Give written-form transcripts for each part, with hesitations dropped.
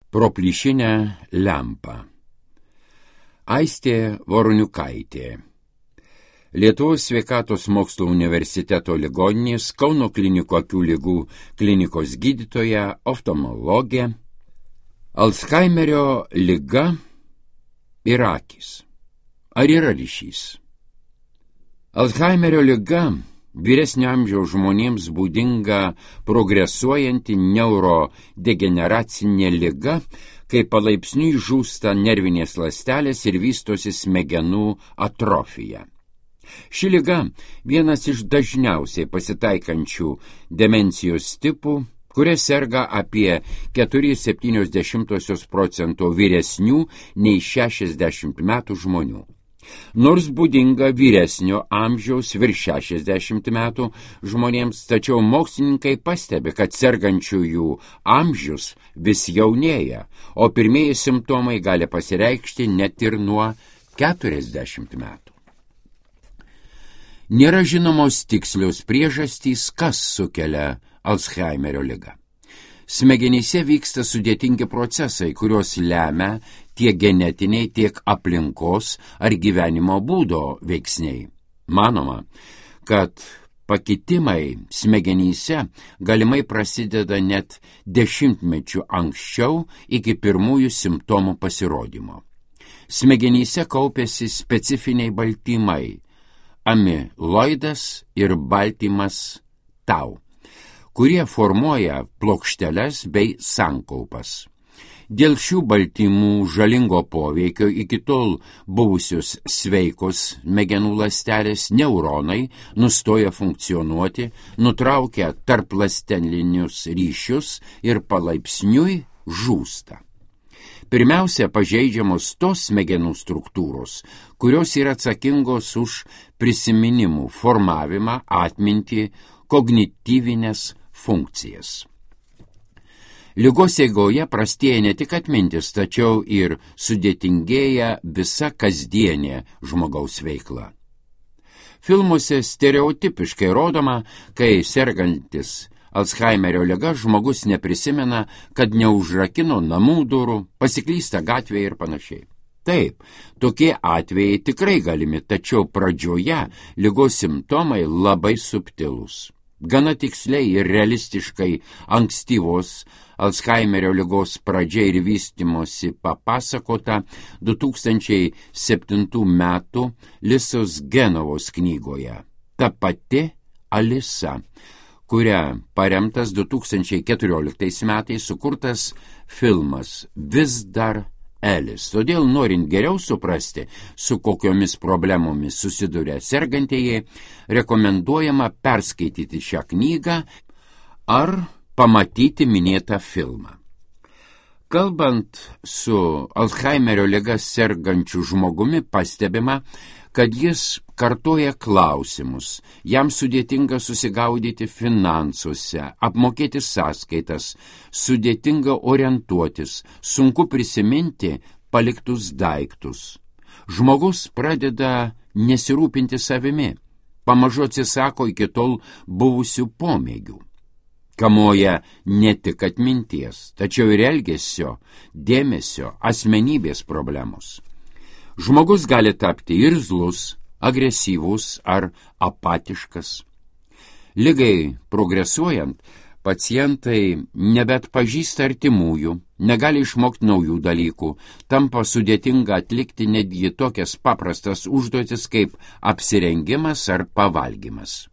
Pro plyšinę lempą. Aistė Voroniukaitė. Lietuvos sveikatos mokslo universiteto ligoninės Kauno klinikų akių ligų klinikos gydytoja, oftalmologė. Alzheimerio liga ir akys. Ar yra ryšys? Alzheimerio liga vyresnio amžiaus žmonėms būdinga progresuojanti neurodegeneracinė liga, kai palaipsniui žūsta nervinės ląstelės ir vystosi smegenų atrofija. Ši liga vienas iš dažniausiai pasitaikančių demencijos tipų, kuria serga apie 4,7% vyresnių nei 60 metų žmonių. Nors būdinga vyresnio amžiaus virš 60 metų žmonėms, tačiau mokslininkai pastebi, kad sergančiųjų amžius vis jaunėja, o pirmieji simptomai gali pasireikšti net ir nuo 40 metų. Nėra žinomos tikslios priežastys, kas sukelia Alzheimerio ligą. Smegenyse vyksta sudėtingi procesai, kuriuos lemia tiek genetiniai, tiek aplinkos ar gyvenimo būdo veiksniai. Manoma, kad pakitimai smegenyse galimai prasideda net 10 mečių anksčiau iki pirmųjų simptomų pasirodymo. Smegenyse kaupiasi specifiniai baltymai – amiloidas ir baltymas tau, kurie formuoja plokšteles bei sankaupas. Dėl šių baltymų žalingo poveikio iki tol buvusios sveikos smegenų ląstelės neuronai nustoja funkcionuoti, nutraukia tarpląstelinius ryšius ir palaipsniui žūsta. Pirmiausia, pažeidžiamos tos smegenų struktūros, kurios yra atsakingos už prisiminimų formavimą, atmintį, kognityvinės funkcijas. Ligos eigoje prastėja ne tik atmintis, tačiau ir sudėtingėja visa kasdienė žmogaus veikla. Filmuose stereotipiškai rodoma, kai sergantis Alzheimerio liga žmogus neprisimena, kad neužrakino namų durų, pasiklysta gatvėje ir panašiai. Taip, tokie atvejai tikrai galimi, tačiau pradžioje ligos simptomai labai subtilūs. Gana tiksliai ir realistiškai ankstyvos Alzheimerio ligos pradžia ir vystimosi papasakota 2007 metų Lisos Genovos knygoje Ta pati Alisa, kuria paremtas 2014 metais sukurtas filmas Vis dar Elis. Todėl, norint geriau suprasti, su kokiomis problemomis susiduria sergantieji, rekomenduojama perskaityti šią knygą ar pamatyti minėtą filmą. Kalbant su Alzheimerio liga sergančiu žmogumi, pastebima, kad jis kartoja klausimus, jam sudėtinga susigaudyti finansuose, apmokėti sąskaitas, sudėtinga orientuotis, sunku prisiminti paliktus daiktus. Žmogus pradeda nesirūpinti savimi, pamažu atsisako iki tol buvusių pomėgių. Kamuoja ne tik atminties, tačiau ir elgesio, dėmesio, asmenybės problemos. Žmogus gali tapti irzlus, agresyvus ar apatiškas. Ligai progresuojant, pacientai nebeatpažįsta artimųjų, negali išmokti naujų dalykų, tampa sudėtinga atlikti netgi tokias paprastas užduotis kaip apsirengimas ar pavalgymas.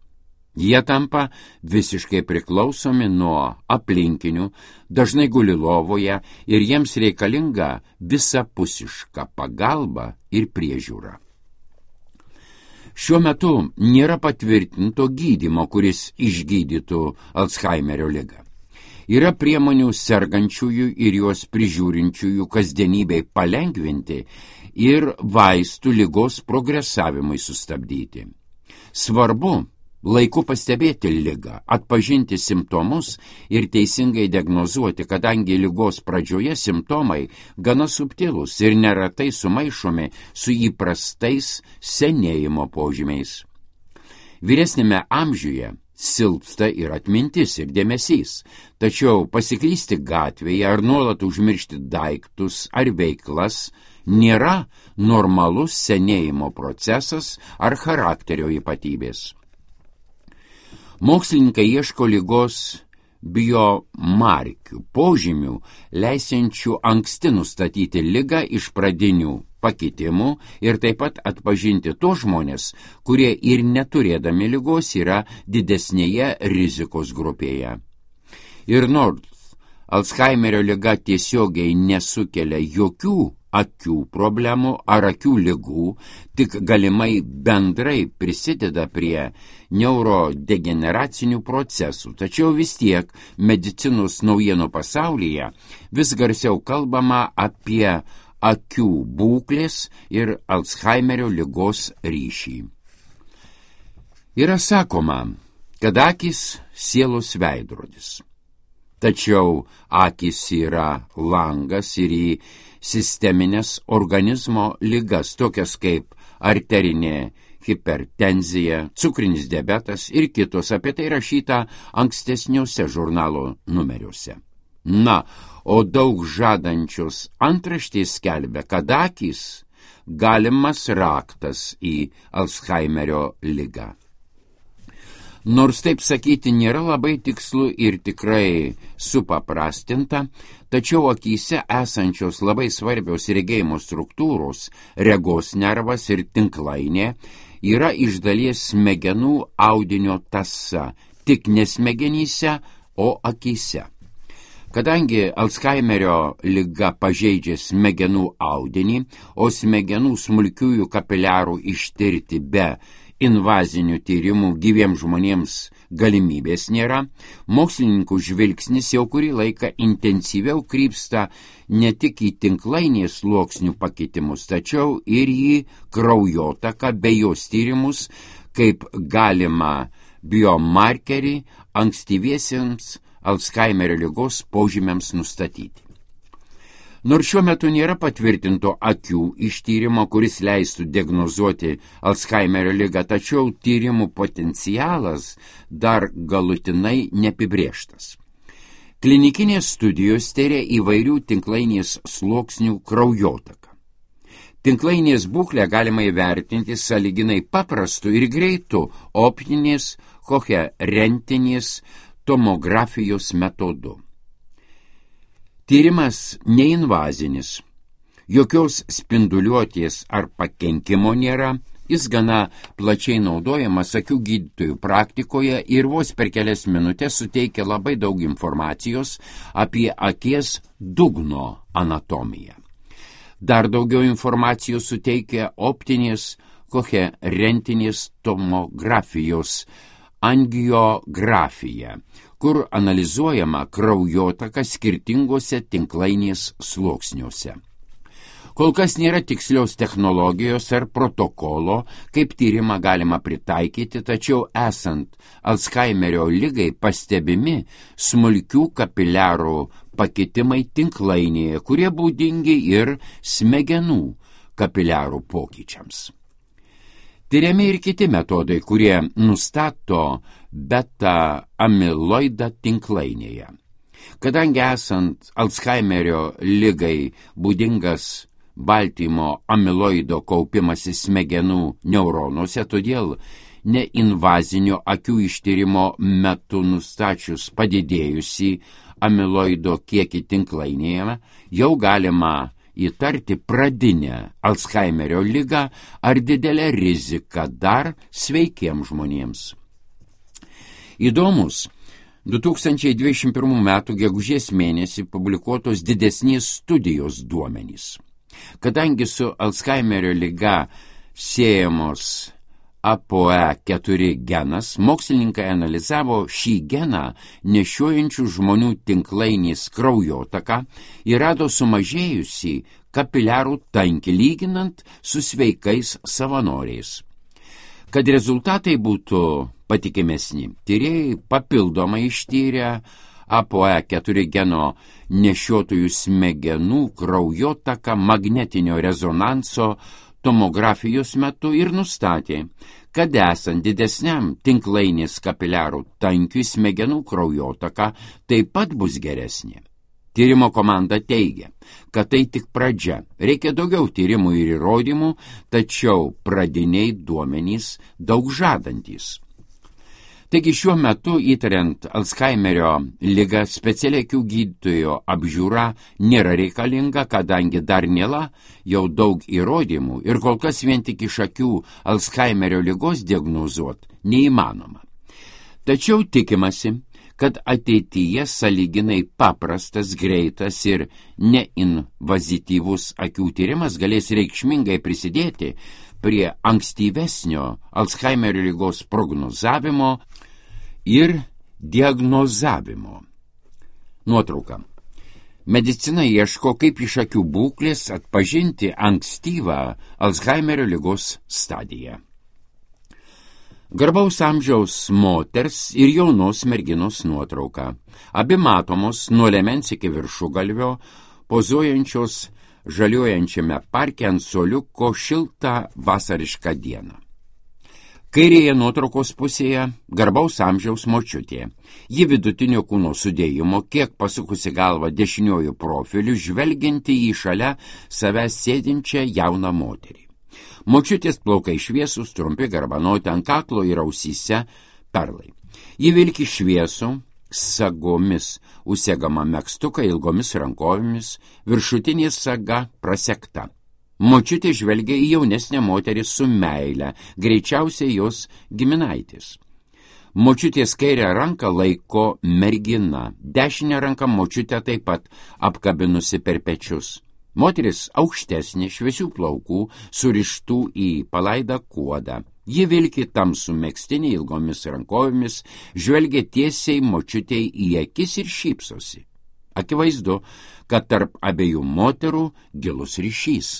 Jie tampa visiškai priklausomi nuo aplinkinių, dažnai guli lovoje ir jiems reikalinga visapusiška pagalba ir priežiūra. Šiuo metu nėra patvirtinto gydymo, kuris išgydytų Alzheimerio ligą. Yra priemonių sergančiųjų ir juos prižiūrinčiųjų kasdienybei palengvinti ir vaistų ligos progresavimui sustabdyti. Svarbu laiku pastebėti ligą, atpažinti simptomus ir teisingai diagnozuoti, kadangi ligos pradžioje simptomai gana subtilūs ir neretai sumaišomi su įprastais senėjimo požymiais. Vyresnėme amžiuje silpsta ir atmintis, ir dėmesys. Tačiau pasiklysti gatvėje ar nuolat užmiršti daiktus ar veiklas nėra normalus senėjimo procesas ar charakterio ypatybės. Mokslininkai ieško ligos biomarkių, požymių, leisiančių anksti nustatyti ligą iš pradinių pakitimų ir taip pat atpažinti tos žmonės, kurie ir neturėdami ligos yra didesnėje rizikos grupėje. Ir nors Alzheimerio liga tiesiogiai nesukelia jokių akių problemų ar akių ligų, tik galimai bendrai prisideda prie neurodegeneracinių procesų. Tačiau vis tiek medicinos naujienų pasaulyje vis garsiau kalbama apie akių būklės ir Alzheimerio ligos ryšį. Yra sakoma, kad akys sielos veidrodis. Tačiau akys yra langas ir į sisteminės organizmo ligas, tokias kaip arterinė hipertenzija, cukrinis diabetas ir kitos, apie tai rašyta ankstesniuose žurnalo numeriuose. Na, o daug žadančios antraštės skelbia, kad akys galimas raktas į Alzheimerio ligą. Nors taip sakyti nėra labai tikslu ir tikrai supaprastinta, tačiau akyse esančios labai svarbios regėjimo struktūros, regos nervas ir tinklainė, yra iš dalies smegenų audinio tąsa, tik ne smegenyse, o akyse. Kadangi Alzheimerio liga pažeidžia smegenų audinį, o smegenų smulkiųjų kapiliarų ištirti be invazinių tyrimų gyviems žmonėms galimybės nėra, mokslininkų žvilgsnis jau kurį laiką intensyviau krypsta ne tik į tinklainės sluoksnių pakitimus, tačiau ir į kraujotaką bei jos tyrimus kaip galima biomarkerį ankstyviesiems Alzheimerio ligos požymiams nustatyti. Nors šiuo metu nėra patvirtinto akių ištyrimo, kuris leistų diagnozuoti Alzheimerio ligą, tačiau tyrimų potencialas dar galutinai neapibrėžtas. Klinikinės studijos tyrė įvairių tinklainės sluoksnių kraujotaką. Tinklainės būklę galima įvertinti sąlyginai paprastu ir greitu optinės koherentinės tomografijos metodu. Tyrimas neinvazinis, jokios spinduliuotės ar pakenkimo nėra, jis gana plačiai naudojamas akių gydytojų praktikoje ir vos per kelias minutės suteikia labai daug informacijos apie akies dugno anatomiją. Dar daugiau informacijos suteikia optinės koherentinės tomografijos angiografija, kur analizuojama kraujotaka skirtingose tinklainės sluoksniuose. Kol kas nėra tikslios technologijos ar protokolo, kaip tyrimą galima pritaikyti, tačiau esant Alzheimerio ligai pastebimi smulkių kapiliarų pakitimai tinklainėje, kurie būdingi ir smegenų kapiliarų pokyčiams. Tyriami ir kiti metodai, kurie nustato beta-amiloidą tinklainėje. Kadangi esant Alzheimerio ligai būdingas baltymo amiloido kaupimas į smegenų neuronuose, todėl neinvazinio akių ištyrimo metu nustačius padidėjusį amiloido kiekį tinklainėje, jau galima įtarti pradinę Alzheimerio ligą ar didelę riziką dar sveikiems žmonėms. Įdomus 2021 m. gegužės mėnesį publikuotos didesnės studijos duomenys. Kadangi su Alzheimerio liga siejamos ApoE4 genas, mokslininkai analizavo šį geną nešiojančių žmonių tinklainės kraujotaką ir rado sumažėjusį kapiliarų tankį lyginant su sveikais savanoriais. Kad rezultatai būtų patikimesni, tyrėjai papildomai ištyrė ApoE4 geno nešiotojų smegenų kraujotaką magnetinio rezonanso tomografijos metu ir nustatė, kad esant didesniam tinklainės kapiliarų tankiui smegenų kraujotaka taip pat bus geresnė. Tyrimo komanda teigia, kad tai tik pradžia. Reikia daugiau tyrimų ir įrodymų, tačiau pradiniai duomenys daug žadantys. Taigi šiuo metu įtariant Alzheimerio ligą speciali akių gydytojo apžiūra nėra reikalinga, kadangi dar nėra jau daug įrodymų ir kol kas vien tik iš akių Alzheimerio ligos diagnozuoti neįmanoma. Tačiau tikimasi, kad ateityje sąlyginai paprastas, greitas ir neinvazityvus akių tyrimas galės reikšmingai prisidėti prie ankstyvesnio Alzheimerio ligos prognozavimo ir diagnozavimo. Nuotrauka. Medicina ieško, kaip iš akių būklės atpažinti ankstyvą Alzheimerio ligos stadiją. Garbaus amžiaus moters ir jaunos merginos nuotrauka. Abi matomos nuo liemens iki viršugalvio, pozuojančios žaliuojančiame parke ant suoliuko šiltą vasarišką dieną. Kairėje nuotraukos pusėje garbaus amžiaus močiutė. Ji vidutinio kūno sudėjimo, kiek pasukusi galvą dešiniuoju profiliu, žvelgianti į šalia savęs sėdinčią jauną moterį. Močiutės plaukai šviesūs, trumpi, garbanoti, ant kaklo ir ausyse perlai. Ji vilki šviesų, sagomis užsegama megztuką ilgomis rankovėmis, viršutinė saga prasekta. Močiutė žvelgia į jaunesnę moterį su meile, greičiausiai jos giminaitis. Močiutės kairę ranką laiko mergina, dešinę ranką močiutė taip pat apkabinusi per pečius. Moteris aukštesnė, šviesių plaukų, surištų į palaidą kuodą. Ji vilki tamsų megztinį ilgomis rankovėmis, žvelgia tiesiai močiutei į akis ir šypsosi. Akivaizdu, kad tarp abiejų moterų gilus ryšys.